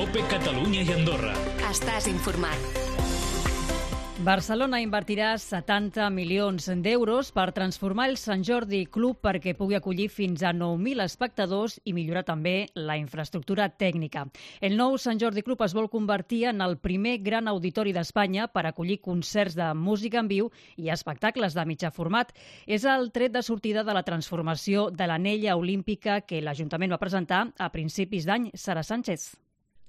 COPE Catalunya i Andorra. Estàs informat. Barcelona invertirà 70 milions d'euros per transformar el Sant Jordi Club perquè pugui acollir fins a 9.000 espectadors i millorar també la infraestructura tècnica. El nou Sant Jordi Club es vol convertir en el primer gran auditori d'Espanya per acollir concerts de música en viu i espectacles de mitjà format. És el tret de sortida de la transformació de l'anella olímpica que l'Ajuntament va presentar a principis d'any. Sara Sánchez.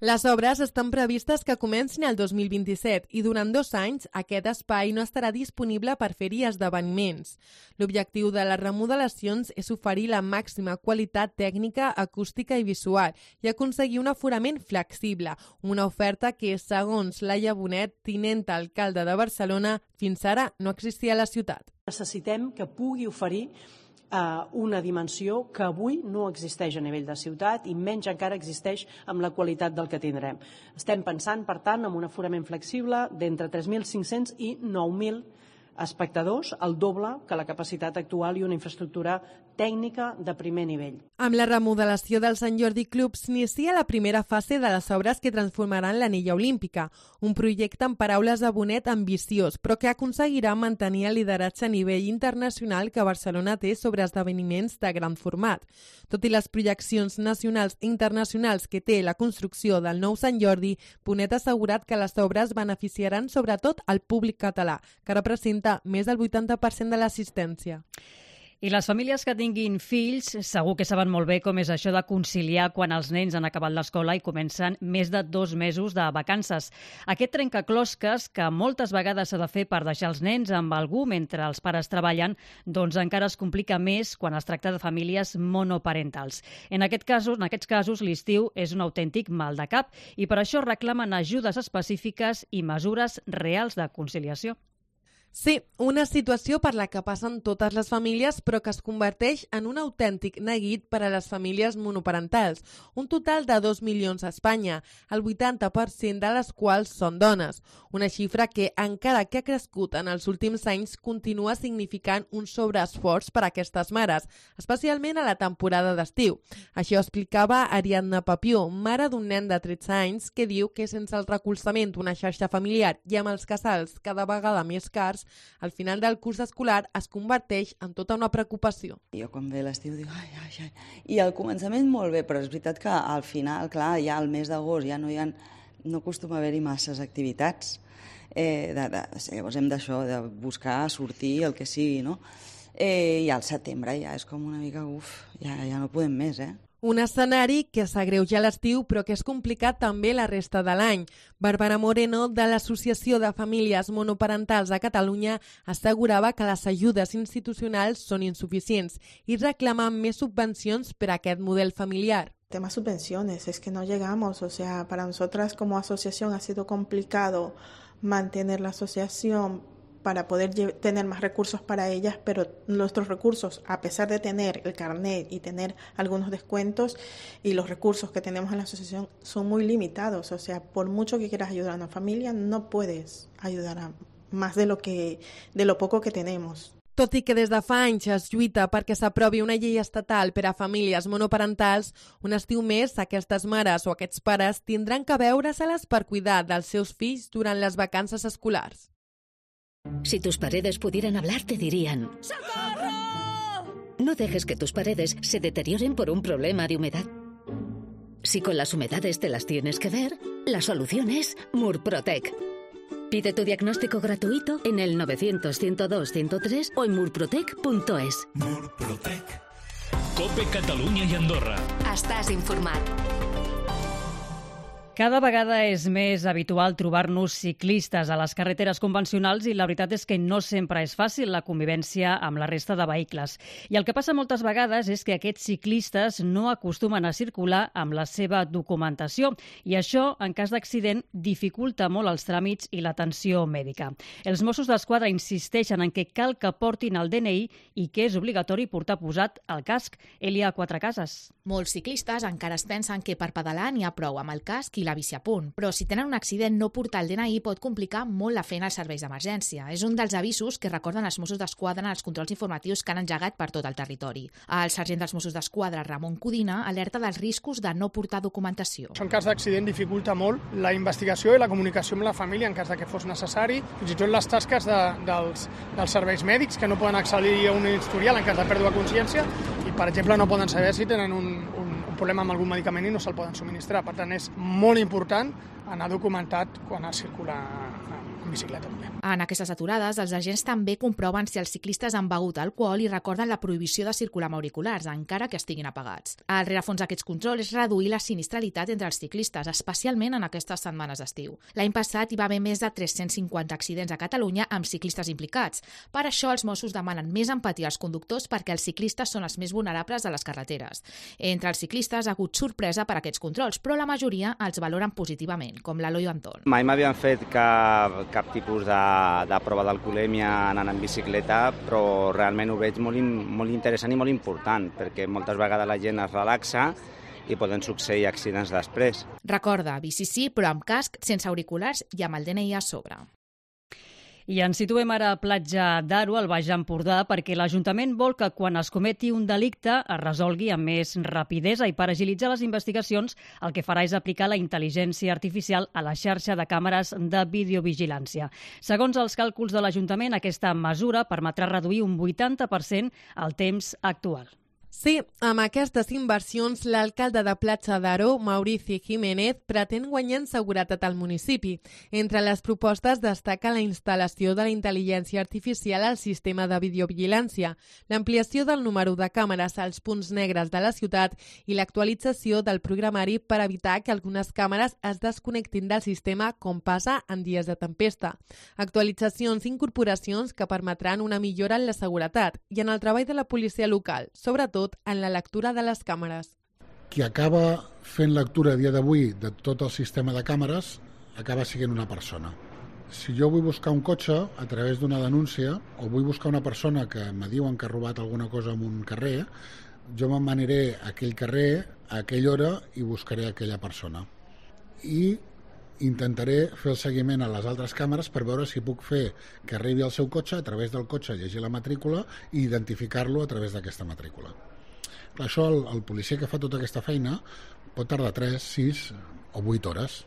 Les obres estan previstes que comencin el 2027 i durant 2 anys aquest espai no estarà disponible per fer-hi esdeveniments. L'objectiu de les remodelacions és oferir la màxima qualitat tècnica, acústica i visual i aconseguir un aforament flexible, una oferta que, segons Laia Bonet, tinenta alcalde de Barcelona, fins ara no existia a la ciutat. Necessitem que pugui oferir una dimensió que avui no existeix a nivell de ciutat i menys encara existeix amb la qualitat del que tindrem. Estem pensant, per tant, en un aforament flexible d'entre 3.500 i 9.000 espectadors, el doble que la capacitat actual i una infraestructura tècnica de primer nivell. Amb la remodelació del Sant Jordi Club s'inicia la primera fase de les obres que transformaran l'anella olímpica, un projecte en paraules de Bonet ambiciós, però que aconseguirà mantenir el lideratge a nivell internacional que Barcelona té sobre esdeveniments de gran format. Tot i les projeccions nacionals i internacionals que té la construcció del nou Sant Jordi, Bonet ha assegurat que les obres beneficiaran sobretot al públic català, que representa més del 80% de l'assistència. I les famílies que tinguin fills segur que saben molt bé com és això de conciliar quan els nens han acabat l'escola i comencen més de 2 mesos de vacances. Aquest trencaclosques que moltes vegades s'ha de fer per deixar els nens amb algú mentre els pares treballen, doncs encara es complica més quan es tracta de famílies monoparentals. En aquests casos, l'estiu és un autèntic mal de cap i per això reclamen ajudes específiques i mesures reals de conciliació. Sí, una situació per la que passen totes les famílies però que es converteix en un autèntic neguit per a les famílies monoparentals, un total de 2 milions a Espanya, el 80% de les quals són dones, una xifra que, encara que ha crescut en els últims anys, continua significant un sobreesforç per a aquestes mares, especialment a la temporada d'estiu. Això explicava Ariadna Papió, mare d'un nen de 13 anys, que diu que sense el recolzament d'una xarxa familiar i amb els casals cada vegada més cars, al final del curs escolar es converteix en tota una preocupació. Jo quan ve l'estiu dic ai. I al començament molt bé, però és veritat que al final, clar, ja al mes d'agost ja no acostuma a haver-hi masses activitats. Llavors hem d'això, de buscar, sortir, el que sigui, no? I al setembre ja és com una mica, ja no podem més, Un escenari que s'agreuja a l'estiu però que és complicat també la resta de l'any. Bàrbara Moreno, de l'Associació de Famílies Monoparentals a Catalunya, assegurava que les ajudes institucionals són insuficients i reclamen més subvencions per a aquest model familiar. Tema subvenciones, es que no llegamos, o sea, para nosotras como asociación ha sido complicado mantener la asociación para poder tener más recursos para ellas, pero nuestros recursos, a pesar de tener el carnet y tener algunos descuentos y los recursos que tenemos en la asociación son muy limitados, o sea, por mucho que quieras ayudar a una familia, no puedes ayudar a más de lo poco que tenemos. Tot i que des de fa anys es lluita perquè s'aprovi una llei estatal per a famílies monoparentals, un estiu més aquestes mares o aquests pares tindran que veure-se-les per cuidar dels seus fills durant les vacances escolars. Si tus paredes pudieran hablar, te dirían: ¡Socorro! No dejes que tus paredes se deterioren por un problema de humedad. Si con las humedades te las tienes que ver, la solución es Murprotec. Pide tu diagnóstico gratuito en el 900-102-103 o en murprotec.es. Murprotec. COPE Catalunya i Andorra. Estàs informat. Cada vegada és més habitual trobar-nos ciclistes a les carreteres convencionals i la veritat és que no sempre és fàcil la convivència amb la resta de vehicles. I el que passa moltes vegades és que aquests ciclistes no acostumen a circular amb la seva documentació i això, en cas d'accident, dificulta molt els tràmits i l'atenció mèdica. Els Mossos d'Esquadra insisteixen en que cal que portin el DNI i que és obligatori portar posat el casc. Elia Quatrecases. Molts ciclistes encara es pensen que per pedalar n'hi ha prou amb el casc i la la bici a punt, però si tenen un accident no portar el DNI pot complicar molt la feina als serveis d'emergència. És un dels avisos que recorden els Mossos d'Esquadra en els controls informatius que han engegat per tot el territori. El sergent dels Mossos d'Esquadra, Ramon Codina, alerta dels riscos de no portar documentació. En cas d'accident dificulta molt la investigació i la comunicació amb la família en cas que fos necessari, fins i tot les tasques dels serveis mèdics que no poden accedir a un historial en cas de pèrdua de consciència i, per exemple, no poden saber si tenen un problema amb algun medicament i no se'l poden subministrar. Per tant, és molt important anar documentat quan es circula en bicicleta. En aquestes aturades, els agents també comproven si els ciclistes han begut alcohol i recorden la prohibició de circular amb auriculars, encara que estiguin apagats. El rerefons d'aquests controls és reduir la sinistralitat entre els ciclistes, especialment en aquestes setmanes d'estiu. L'any passat hi va haver més de 350 accidents a Catalunya amb ciclistes implicats. Per això els Mossos demanen més empatia als conductors perquè els ciclistes són els més vulnerables de les carreteres. Entre els ciclistes ha hagut sorpresa per aquests controls, però la majoria els valoren positivament, com l'Eloi Anton. Mai m'havien fet cap tipus de prova d'alcoholèmia anant en bicicleta, però realment ho veig molt interessant i molt important, perquè moltes vegades la gent es relaxa i poden succeir accidents després. Recorda, bici sí, però amb casc, sense auriculars i amb el DNI a sobre. I ens situem ara a Platja d'Aro, al Baix Empordà, perquè l'Ajuntament vol que quan es cometi un delicte es resolgui amb més rapidesa i per agilitzar les investigacions el que farà és aplicar la intel·ligència artificial a la xarxa de càmeres de videovigilància. Segons els càlculs de l'Ajuntament, aquesta mesura permetrà reduir un 80% el temps actual. Sí, amb aquestes inversions, l'alcalde de Platja d'Aro, Maurici Jiménez, pretén guanyar en seguretat al municipi. Entre les propostes destaca la instal·lació de la intel·ligència artificial al sistema de videovigilància, l'ampliació del número de càmeres als punts negres de la ciutat i l'actualització del programari per evitar que algunes càmeres es desconnectin del sistema com passa en dies de tempesta. Actualitzacions i incorporacions que permetran una millora en la seguretat i en el treball de la policia local, sobretot en la lectura de les càmeres. Qui acaba fent lectura a dia d'avui de tot el sistema de càmeres acaba sent una persona. Si jo vull buscar un cotxe a través d'una denúncia o vull buscar una persona que me diuen que ha robat alguna cosa en un carrer, jo me'n aniré a aquell carrer a aquella hora i buscaré aquella persona. I intentaré fer el seguiment a les altres càmeres per veure si puc fer que arribi al seu cotxe, a través del cotxe llegir la matrícula i identificar-lo a través d'aquesta matrícula. Per això el policia que fa tota aquesta feina pot tardar 3, 6 o 8 hores.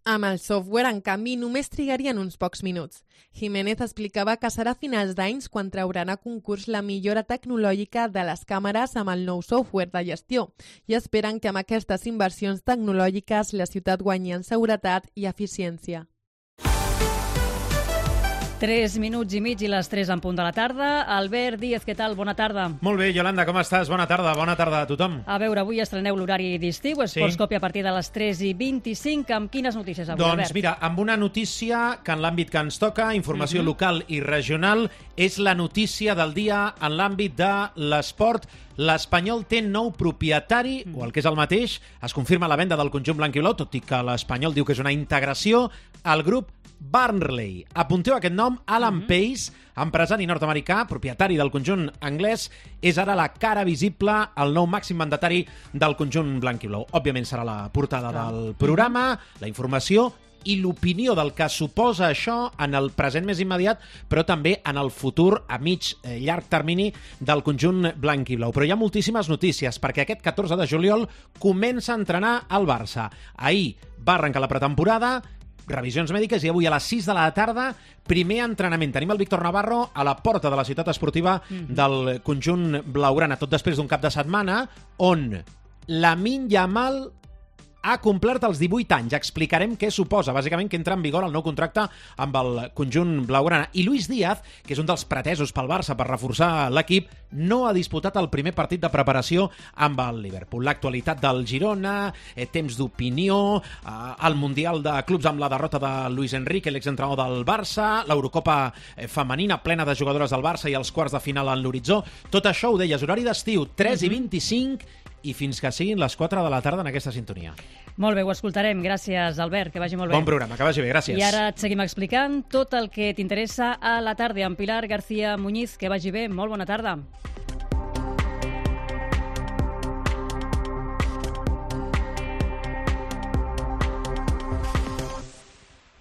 Amb el software, en canvi, només trigarien uns pocs minuts. Jiménez explicava que serà a finals d'anys quan trauran a concurs la millora tecnològica de les càmeres amb el nou software de gestió i esperen que amb aquestes inversions tecnològiques la ciutat guanyi en seguretat i eficiència. 3 minuts i mig i les 3 en punt de la tarda. Albert Díez, què tal? Bona tarda. Molt bé, Yolanda, com estàs? Bona tarda a tothom. A veure, avui estreneu l'horari d'estiu, Esports Còpia a partir de les 3:25. Amb quines notícies avui, Albert? Doncs mira, amb una notícia que en l'àmbit que ens toca, informació local i regional, és la notícia del dia en l'àmbit de l'esport. L'Espanyol té nou propietari, o el que és el mateix, es confirma la venda del conjunt blanc i blau, tot i que l'Espanyol diu que és una integració al grup Barnsley. Apunteu aquest nom, Alan Pace, empresari nord-americà, propietari del conjunt anglès, és ara la cara visible, el nou màxim mandatari del conjunt blanc i blau. Òbviament serà la portada del programa, la informació i l'opinió del que suposa això en el present més immediat, però també en el futur a llarg termini del conjunt blanc i blau. Però hi ha moltíssimes notícies, perquè aquest 14 de juliol comença a entrenar el Barça. Ahir va arrencar la pretemporada, revisions mèdiques, i avui a les 6 de la tarda primer entrenament. Tenim el Víctor Navarro a la porta de la ciutat esportiva del conjunt blaugrana, tot després d'un cap de setmana on Lamine Yamal ha complert els 18 anys. Explicarem què suposa, bàsicament, que entra en vigor el nou contracte amb el conjunt blaugrana. I Luis Díaz, que és un dels pretesos pel Barça per reforçar l'equip, no ha disputat el primer partit de preparació amb el Liverpool. L'actualitat del Girona, temps d'opinió, el Mundial de Clubs amb la derrota de Luis Enrique, l'exentrenador del Barça, l'Eurocopa femenina plena de jugadores del Barça i els quarts de final en l'horitzó. Tot això ho deies, horari d'estiu, 3:25, i fins que siguin les 4 de la tarda en aquesta sintonia. Molt bé, ho escoltarem. Gràcies, Albert, que vagi molt bé. Bon programa, que vagi bé, gràcies. I ara et seguim explicant tot el que t'interessa a la tarda amb Pilar García Muñiz. Que vagi bé, molt bona tarda.